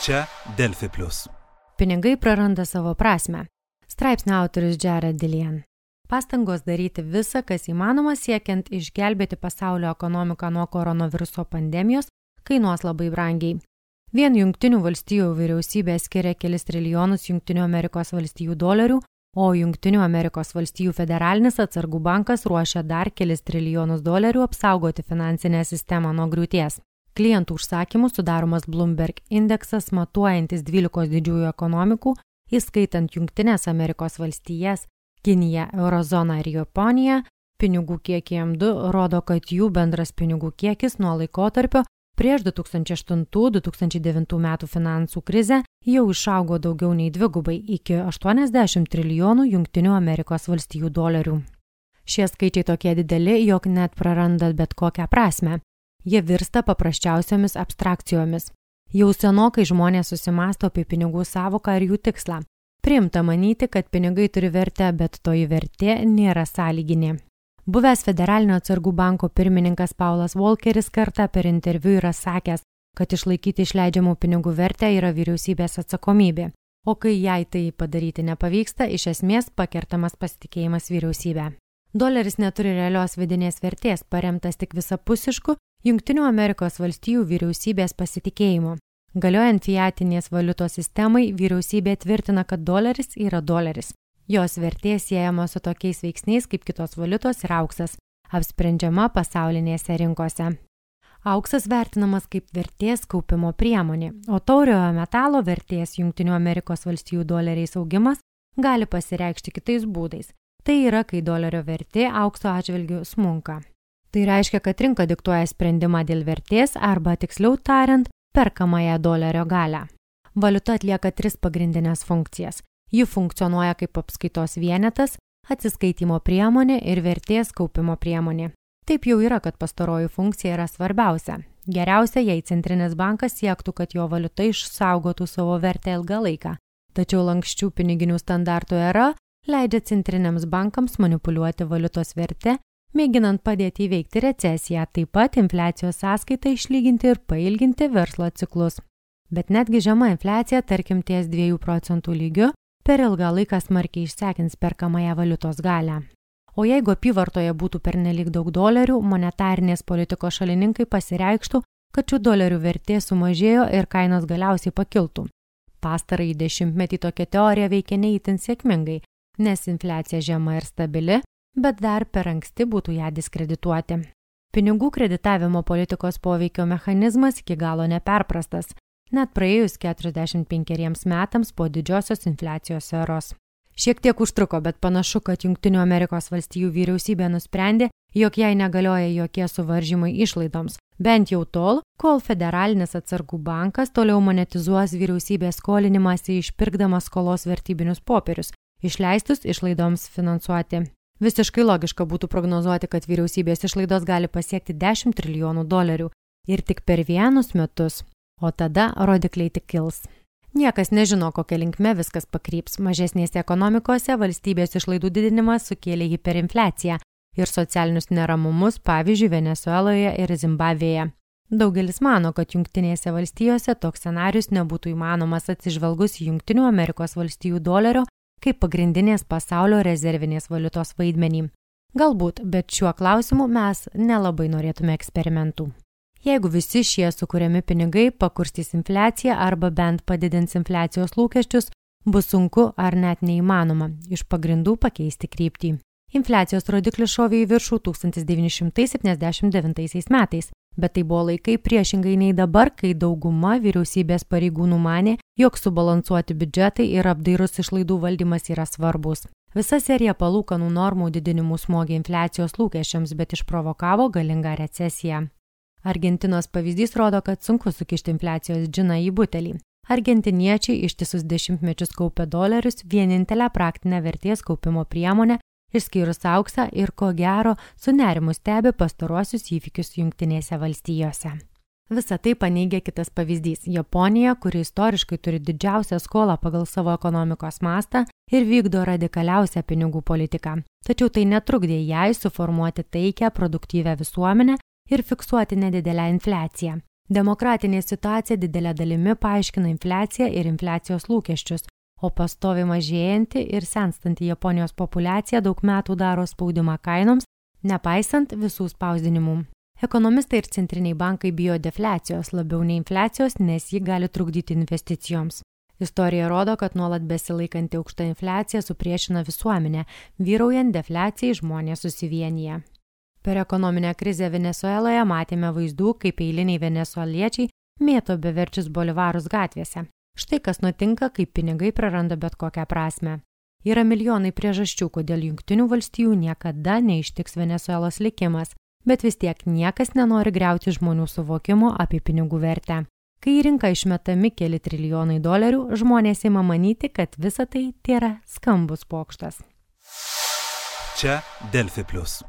Čia Delfi Plus. Pinigai praranda savo prasmę. Straipsnio autorius Jared Dillian. Pastangos daryti visą, kas įmanoma siekiant išgelbėti pasaulio ekonomiką nuo koronaviruso pandemijos, kainuos labai brangiai. Vien Jungtinių valstijų vyriausybė skiria kelis trilijonus Jungtinių Amerikos valstijų dolerių, o Jungtinių Amerikos valstijų federalinis atsargų bankas ruošia dar kelis trilijonus dolerių apsaugoti finansinę sistemą nuo griūties. Klientų užsakymų sudaromas Bloomberg indeksas matuojantis 12 didžiųjų ekonomikų, įskaitant Jungtines Amerikos valstijas, Kiniją, Eurozoną ir Japoniją, pinigų kiekį M2 rodo, kad jų bendras pinigų kiekis nuo laikotarpio prieš 2008-2009 metų finansų krizę jau išaugo daugiau nei dvigubai iki 80 trilijonų Jungtinių Amerikos valstijų dolerių. Šie skaičiai tokie dideli, jog net praranda bet kokią prasmę. Jie virsta paprasčiausiomis abstrakcijomis. Jau senokai žmonės susimąsto apie pinigų sąvoką ir jų tikslą. Priimta manyti, kad pinigai turi vertę, bet toji vertė nėra sąlyginė. Buvęs Federalinio atsargų banko pirmininkas Paulas Volkeris kartą per interviu yra sakęs, kad išlaikyti išleidžiamų pinigų vertę yra vyriausybės atsakomybė, o kai jai tai padaryti nepavyksta, iš esmės pakertamas pasitikėjimas vyriausybė. Doleris neturi realios vidinės vertės, paremtas tik visapusišku Jungtinių Amerikos valstijų vyriausybės pasitikėjimu. Galiojant fiatinės valiutos sistemai, vyriausybė tvirtina, kad doleris yra doleris. Jos vertė siejama su tokiais veiksniais kaip kitos valiutos ir auksas, apsprendžiama pasaulinėse rinkose. Auksas vertinamas kaip vertės kaupimo priemonė, o tauriojo metalo vertės Jungtinių Amerikos valstijų doleriais augimas gali pasireikšti kitais būdais. Tai yra, kai dolerio vertė aukso atžvilgiu smunka. Tai reiškia, kad rinka diktuoja sprendimą dėl vertės arba, tiksliau tariant, perkamąją dolerio galią. Valiuta atlieka 3 pagrindinės funkcijas. Ji funkcionuoja kaip apskaitos vienetas, atsiskaitimo priemonė ir vertės kaupimo priemonė. Taip jau yra, kad pastaroji funkcija yra svarbiausia. Geriausia, jei centrinis bankas siektų, kad jo valiuta išsaugotų savo vertę ilgą laiką. Tačiau lanksčių piniginių standartų era leidžia centriniams bankams manipuliuoti valiutos vertę, mėginant padėti įveikti recesiją, taip pat infliacijos sąskaitą išlyginti ir pailginti verslo ciklus. Bet netgi žema infliacija, tarkim ties 2% lygiu, per ilgą laiką smarkiai išsekins perkamąją valiutos galią. O jeigu apyvartoje būtų pernelyg daug dolerių, monetarinės politikos šalininkai pasireikštų, kad šių dolerių vertė sumažėjo ir kainos galiausiai pakiltų. Pastarąjį dešimtmetį tokia teorija veikia neįtin sėkmingai, nes infliacija žema ir stabili, bet dar per anksti būtų ją diskredituoti. Pinigų kreditavimo politikos poveikio mechanizmas iki galo neperprastas, net praėjus 45 metams po didžiosios infliacijos eros. Šiek tiek užtruko, bet panašu, kad Jungtinių Amerikos valstijų vyriausybė nusprendė, jog jai negalioja jokie suvaržymai išlaidoms, bent jau tol, kol Federalinis atsargų bankas toliau monetizuos vyriausybės skolinimąsi išpirkdamas skolos vertybinius popierius, išleistus išlaidoms finansuoti. Visiškai logiška būtų prognozuoti, kad vyriausybės išlaidos gali pasiekti 10 trilijonų dolerių ir tik per 1 metus, o tada rodikliai tik kils. Niekas nežino, kokia linkme viskas pakryps. Mažesnėse ekonomikose valstybės išlaidų didinimas sukėlė hiperinfliaciją ir socialinius neramumus, pavyzdžiui, Venesueloje ir Zimbabvėje. Daugelis mano, kad Jungtinėse valstijose toks scenarius nebūtų įmanomas atsižvelgus į Jungtinių Amerikos valstijų dolerio kaip pagrindinės pasaulio rezervinės valiutos vaidmenį. Galbūt, bet šiuo klausimu mes nelabai norėtume eksperimentų. Jeigu visi šie sukuriami pinigai pakurstys infliaciją arba bent padidins infliacijos lūkesčius, bus sunku ar net neįmanoma iš pagrindų pakeisti kryptį. Infliacijos rodiklis šovė į viršų 1979 metais, bet tai buvo laikai priešingai nei dabar, kai dauguma vyriausybės pareigūnų manė, jog subalansuoti biudžetai ir apdairus išlaidų valdymas yra svarbus. Visa serija palūkanų normų didinimų smogė infliacijos lūkesčiams, bet išprovokavo galingą recesiją. Argentinos pavyzdys rodo, kad sunku sukišti infliacijos džiną į butelį. Argentiniečiai ištisus dešimtmečius kaupė dolerius, vienintelę praktinę vertės kaupimo priemonę, išskyrus auksą ir ko gero su nerimu stebi pastaruosius įvykius Jungtinėse valstijose. Visą tai paneigia kitas pavyzdys – Japonija, kuri istoriškai turi didžiausią skolą pagal savo ekonomikos mastą ir vykdo radikaliausią pinigų politiką. Tačiau tai netrukdė jai suformuoti taikią, produktyvią visuomenę ir fiksuoti nedidelę infliaciją. Demokratinė situacija didelė dalimi paaiškina infliaciją ir infliacijos lūkesčius, o pastoviai mažėjanti ir senstanti Japonijos populiacija daug metų daro spaudimą kainoms, nepaisant visų spausdinimų. Ekonomistai ir centriniai bankai bijo defliacijos labiau nei infliacijos, nes ji gali trukdyti investicijoms. Istorija rodo, kad nuolat besilaikanti aukšta infliacija supriešina visuomenę, vyraujant defliacijai žmonės susivienyje. Per ekonominę krizę Venesueloje matėme vaizdų, kaip eiliniai venesueliečiai mėto beverčius bolivarus gatvėse. Štai kas nutinka, kai pinigai praranda bet kokią prasmę. Yra milijonai priežasčių, kodėl Jungtinių valstijų niekada neištiks Venesuelos likimas, bet vis tiek niekas nenori griauti žmonių suvokimo apie pinigų vertę. Kai į rinką išmetami keli trilijonai dolerių, žmonės ima manyti, kad visa tai tėra skambus pokštas. Čia Delfi Plus.